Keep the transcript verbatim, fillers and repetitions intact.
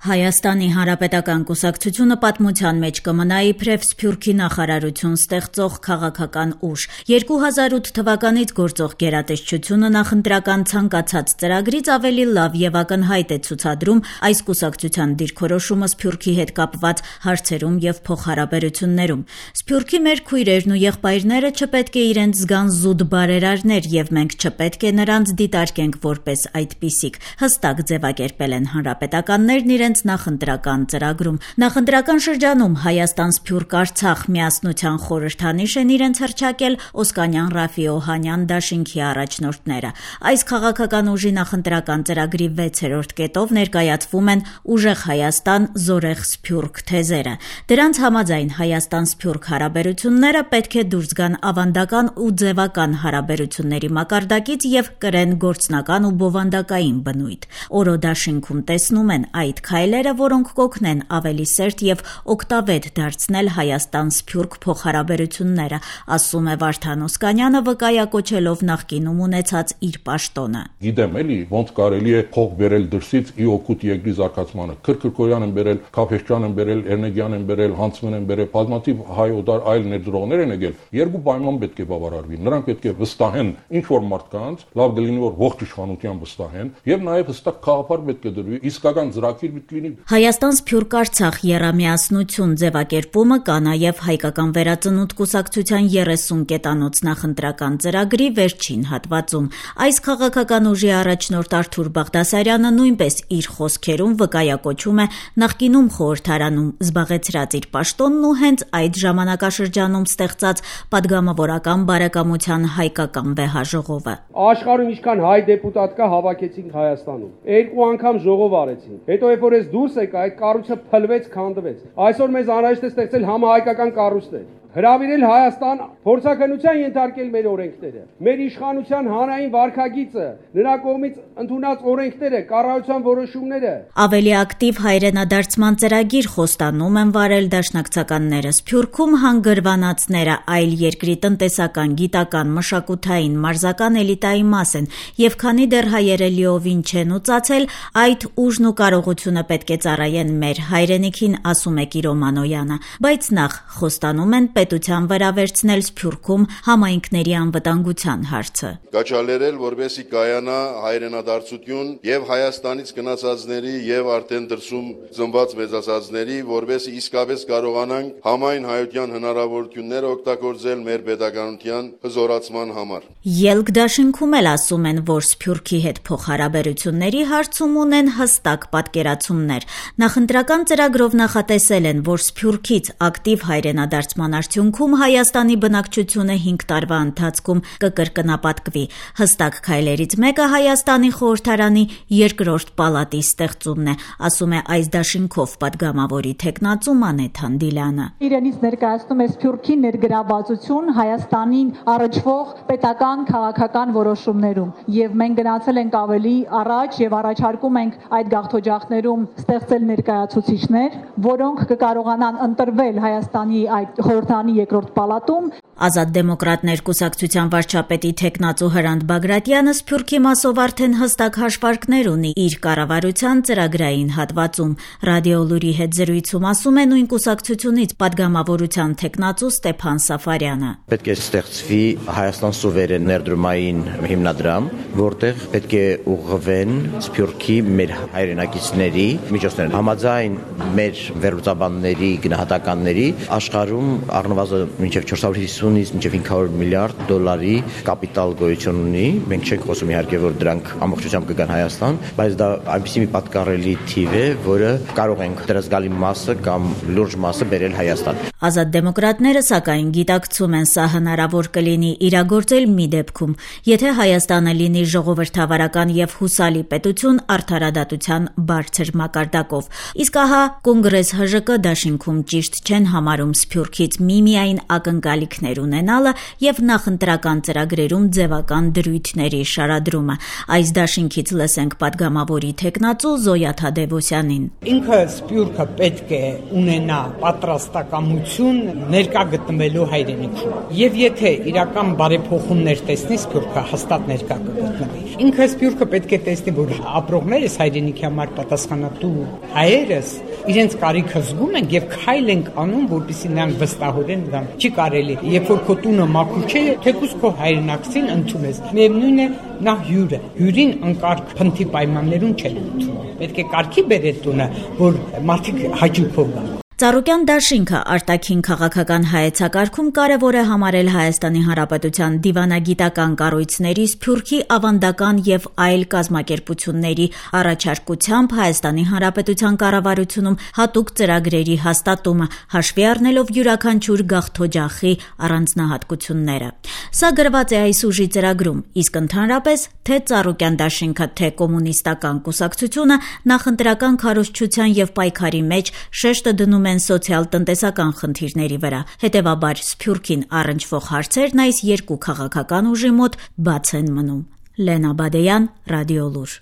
Հայաստանի Հանրապետական կուսակցությունը պատմության մեջ կմնա իբրև Սփյուռքի նախարարություն ստեղծող քաղաքական ուժ։ երկու հազար ութ թվականից գործող գերատեսչությունը նախընտրական ցանկացած ծրագրից ավելի լավ եւ ակնհայտ է ցուցադրում այս կուսակցության դիրքորոշումը Սփյուռքի հետ կապված հարցերում եւ փոխհարաբերություններում։ Սփյուռքի մեր քույրերն ու եղբայրները չպետք է իրենց զգան զուտ բարերարներ եւ մենք չպետք է նրանց դիտարկենք որպես այդպիսիք, հստակ ձևակերպել են հանրապետականներն իրենց նախընտրական ծրագրում։ Նախընտրական շրջանում Հայաստան-Սփյուռք-Արցախ միասնության խորհրդանիշ են իրենց հռչակել Օսկանյան Ռաֆի Օհանյան դաշինքի առաջնորդները։ Այս քաղաքական ուժի նախընտրական ծրագրի վեցերորդ կետով ներկայացվում են ուժեղ Հայաստան, զորեղ Սփյուռք թեզերը։ Դրանց համաձայն Հայաստան-Սփյուռք հարաբերությունները պետք է դուրս գան ավանդական ու ձևական հարաբերությունների մակարդակից եւ կրեն գործնական ու բովանդակային բնույթ։ Օրո դաշինքում տեսնում են այդ քայլերը, որոնք կօգնեն ավելի սերտ եւ օգտավետ դարձնել Հայաստան-Սփյուռք փոխհարաբերությունները, ասում է Վարդան Օսկանյանը, վկայակոչելով նախկինում ունեցած իր պաշտոնը։ Գիտեմ էլի, ոնց կարելի է փող բերել դրսից ի օգուտ երկրի զարգացմանը։ Քրքրկոյան են բերել, Քափեշյան են բերել, Էրնեգյան են բերել, Հանցմեն են բերել, բազմաթիվ հայ օտար այլ ներդրողներ են եկել։ Երկու պայման պետք է բավարարվի։ Նրանք պետք է վստահեն ինչ որ մարդկանց, լավ կլինի որ ողջ իշխանության վստահեն, եւ նաեւ հստակ խաղապար պետք է դրվի, իսկական ծրագիր պետք լինի։ Հայաստան-Սփյուռք-Արցախ եռամիասնություն ձևակերպումը կա նաեւ հայկական վերածնունդ կուսակցության երեսուն կետանոց նախընտրական ծրագրի վերջին հատվածում։ Այս քաղաքական ուժի առաջնորդ Արթուր Բաղդասարյանը նույնպես իր խոսքերում վկայակոչում է նախկինում խորհրդարանում զբաղեցրած իր պաշտոնն ու հենց այդ ժամանակաշրջանում ստեղծած падգամավորական բարեկամության հայկական վեհաժողովը։ Աշխարհում ինչքան հայ դեպուտատ կա հավաքեցինք Հայաստանում։ Երկու անգամ ժողով արեցին։ Հետո երբ որ ես դուրս եկա, այդ կառույցը փլվեց, քանդվեց։ Այսօր մեզ անհրաժեշտ է ստեղծել համահայկական կառույցներ։ Հրավիրել Հայաստան, փորձաքննության ենթարկել մեր օրենքները, մեր իշխանության հանրային վարքագիծը, նրա կողմից ընդունած օրենքները, կառավարության որոշումները։ Ավելի ակտիվ հայրենադարձման ծրագիր խոստանում են վարել դաշնակցականները։ Սփյուռքում հանգրվանածները այլ երկրի տնտեսական, գիտական, մշակութային, մարզական էլիտայի մաս են, եւ քանի դեռ հայերը լիովին չեն ուծացել, այդ ուժն ու կարողությունը պետք է ծառայեն մեր հայրենիքին, ասում է Կիրո Մանոյանը, բայց նախ խոստանում են պետության վրա վերցնել Սփյուռքում համայնքների անվտանգության հարցը։ Կաչալերել, որպեսզի կայանա հայրենադարձություն եւ Հայաստանից գնացածների եւ արդեն դրսում ծնված մեծացածների, որպեսզի իսկապես կարողանանք համայն հայության հնարավորությունները օգտագործել մեր պետականության հզորացման համար։ Ելք դաշինքում էլ ասում են, որ Սփյուռքի հետ փոխհարաբերությունների հարցում ունեն հստակ պատկերացումներ։ Նախընտրական ծրագրով նախատեսել են, որ Սփյուռքից ակտիվ հայրենադարձման արդյունքում Հայաստանի բնակչությունը հինգ տարվա ընթացքում կկրկնապատկվի։ Հստակ քայլերից մեկը Հայաստանի խորհրդարանի երկրորդ պալատի ստեղծումն է, ասում է այս դաշինքով падգամավորի թեկնածու Մանեթ Հանդիլյանը։ Իրենից ներկայացնում է Սփյուռքի ներգրավվածություն Հայաստանին առնչվող պետական քաղաքական որոշումներում, եւ մենք գնացել ենք ավելի առաջ եւ առաջարկում ենք այդ գաղթօջախներում ստեղծել ներկայացուցիչներ, որոնք կկարողանան ընտրվել Հայաստանի այդ խորհրդանի երկրորդ պալատում։ Ազատ դեմոկրատներ կուսակցության վարչապետի թեկնածու Հրանտ Բագրատյանը Սփյուռքի մասով արդեն հստակ հաշվարկներ ունի իր կառավարության ծրագրային հատվածում։ Ռադիոլուրի հետ զրույցում ասում է նույն կուսակցությունից падգամավորության թեկնածու Ստեփան Սաֆարյանը։ Պետք է ստեղծվի Հայաստան սուվերեն ներդրումային հիմնադրամ, որտեղ պետք է ուղղվեն Սփյուռքի մեր հայրենակիցների միջոցները։ Համաձայն մեր վերլուծաբանների գնահատականների աշխարհում առնվազն մինչև չորս հարյուր հիսունից մինչև հինգ հարյուր միլիարդ դոլարի կապիտալ գոյություն ունի։ Մենք չենք խոսում իհարկե, որ դրանք ամբողջությամբ կգան Հայաստան, բայց դա այնպիսի մի պատկառելի թիվ է, որը կարող ենք դրա զգալի մասը կամ լուրջ մասը բերել Հայաստան։ Ազատ դեմոկրատները սակայն գիտակցում են, սա հնարավոր կլինի իրագործել մի դեպքում, եթե Հայաստանը լինի ժողովրդավարական եւ հուսալի պետություն արդարադատության բարձր մակարդակով։ Իսկ ահա Կոնգրես ՀԺԿ դաշինքում ճիշտ չեն համարում Սփյուռքից միմիայն ակնկալիքներ տեղեր ունենալը եւ նախընտրական ծրագրերում ձևական դրույթների շարադրումը։ Այս դաշինքից լսենք падգամավորի թեկնածու Զոյա Թադևոսյանին։ Ինքը Սփյուռքը պետք է ունենա պատրաստակամություն ներկա գտնվելու հայրենիքում։ Եվ եթե իրական բարեփոխումներ տեսնի Սփյուռքը հաստատ ներկա կգտնվի։ Ինքը Սփյուռքը պետք է տեսնի, որ ապրողներս հայրենիքի համար պատասխանատու հայերս իրենց կարիքը զգում են եւ քայլ են անում, որպեսզի նրանք վստահորեն գան։ Չի կարելի, երբ որ քո տունը մաքուր չէ, թեկուզ քո հայրենակցին ընդունես։ Միևնույն է, նա հյուր է։ Հյուրին անկարգ փնթի պայմաններում չեն ընդունում։ Պետք է կարգի բերել տունը, որ մարդիկ հաճույքով գան։ Ծառուկյան դաշինքը արտաքին քաղաքական հայեցակարգում կարևոր է համարել Հայաստանի Հանրապետության դիվանագիտական կառույցների, Սփյուռքի ավանդական եւ այլ կազմակերպությունների առաջարկությամբ Հայաստանի Հանրապետության կառավարությունում հատուկ ծրագրերի հաստատումը, հաշվի առնելով յուրաքանչյուր գաղթօջախի առանձնահատկությունները։ Սա գրված է այս ուժի ծրագրում, իսկ ընդհանրապես թե Ծառուկյան դաշինքը, թե կոմունիստական կուսակցությունը նախընտրական քարոզչության եւ պայքարի մեջ շեշտը դնում են սոցիալ-տնտեսական խնդիրների վրա։ Հետևաբար Սփյուռքին առնչվող հարցերն այս երկու քաղաքական ուժի մոտ բաց են մնում։ Լենա Բադեյան, Ռադիոլուր։